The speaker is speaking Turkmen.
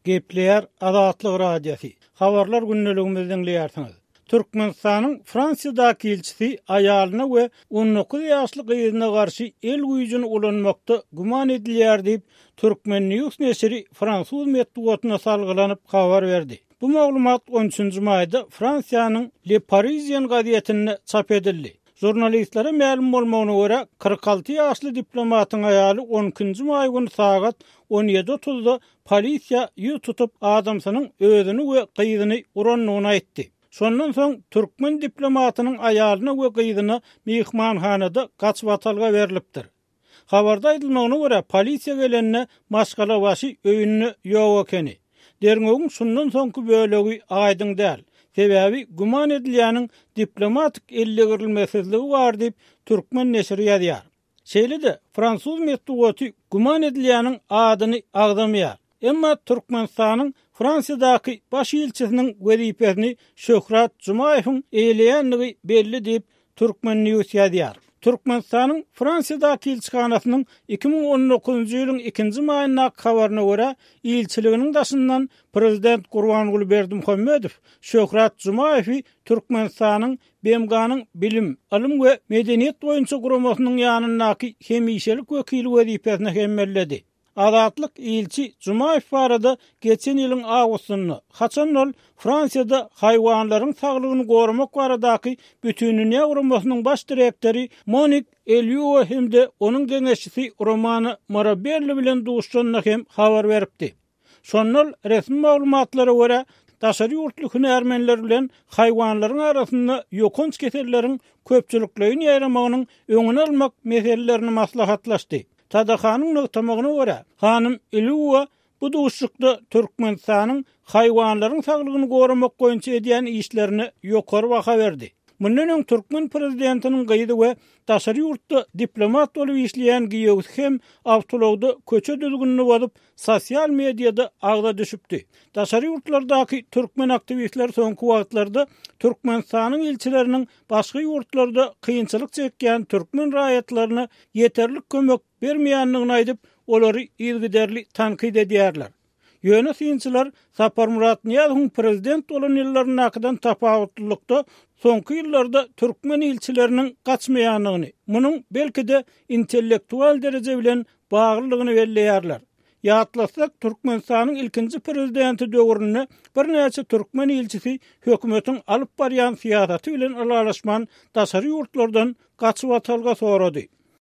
Gepleýär Azatlyk Radiosy. Habarlar gündeligimizi diňleýärsiňiz. Türkmenistanyň Fransiýadaky ilçisi aýalyna we 19 ýaşly gyzyna garşy el güýjüni ulanmakda güman edilýär diýip, Turkmen News neşiri fransuz metbugatyna salgylanyp habar berdi. Bu maglumat on üçünji maýda Fransiýanyň Le Parisien gazetinde çap edildi. Žurnalistlere mälim bolmagyna görä, 46 ýaşly diplomatyň aýaly on ikinji maý güni sagat on ýedi otuzda polisiýa ýüz tutup, adamsynyň özüni we gyzyny urandygyny aýtdy. Şondan soň türkmen diplomatynyň aýalyna we gyzyna myhmanhanada gaçybatalga berlipdir. Habarda aýdylmagyna görä, polisiýa gelende maşgalabaşy öýünde ýok ekeni. Derňewiň şundan soňky bölegi aýdyň däl. Sebäbi güman edilýäniň diplomatik eldegirilmesizligi bar diýip, türkmen neşiri ýazýar. Şeýle-de, fransuz metbugaty güman edilýäniň adyny agzamaýar. Emma Türkmenistanyň Fransiýadaky baş ilçisiniň wezipesini Şöhrat Jumaýewiň eýeleýändigi belli diýip, Turkmen. News ýazýar. Türkmenistanyň Fransiýadaky ilçihanasynyň 2019-njy ýylyň ikinji maýyndaky habaryna görä, ilçiliginiň daşyndan prezident Gurbanguly Berdimuhamedow Şöhrat Jumaýewi Türkmenistanyň BMG-niň Bilim, ylym we medeniýet boýunça guramasynyň ýanyndaky hemişelik wekili wezipesine hem belledi. Azatlyk ilçi Jumaýew barada geçen ýylyň awgustynda, haçan ol Fransiýada haýwanlaryň saglygyny goramak baradaky Bütindünýä guramasynyň baş direktory Monik Elýua hem-de onuň geňeşçisi Romana Marabelli bilen duşuşanda hem habar beripdi. Şonda ol resmi maglumatlara görä, daşary ýurtly hünärmenler bilen haýwanlaryň arasynda ýokanç keselleriň köpçülikleýin ýaýramagynyň öňüni almak meselelerini maslahatlaşdy. TDH-nyň nygtamagyna görä, hanym Ilýuwa bu duşuşykda Türkmenistanyň haýwanlaryň saglygyny goramak boýunça edýän işlerine ýokary baha berdi. Mundan öň türkmen prezidentiniň gyzy we daşary ýurtda diplomat bolup işleýän giýewsi hem awtoulagda köçe düzgünini bozup, sosial mediada agza düşüpdi. Daşary ýurtlardaky türkmen aktiwistleri soňky wagtlarda Türkmenistanyň ilçileriniň başga ýurtlarda kynçylyk çekýän türkmen raýatlaryna ýeterlik kömek bermeýändigini aýdyp, olary yzygiderli tankyt edýärler. Ýöne synçylar Saparmyrat Nyýazowyň prezident bolan ýyllaryndakydan tapawutlylykda, soňky ýyllarda türkmen ilçileriniň gaçmaýandygyny, munuň, belki-de, intellektual dereje bilen baglydygyny belleýärler. Ýatlatsak, Türkmenistanyň ilkinji prezidenti döwründe birnäçe türkmen ilçisi hökümetiň alyp barýan syýasaty bilen ylalaşman, daşary ýurtlardan gaçybatalga sorady.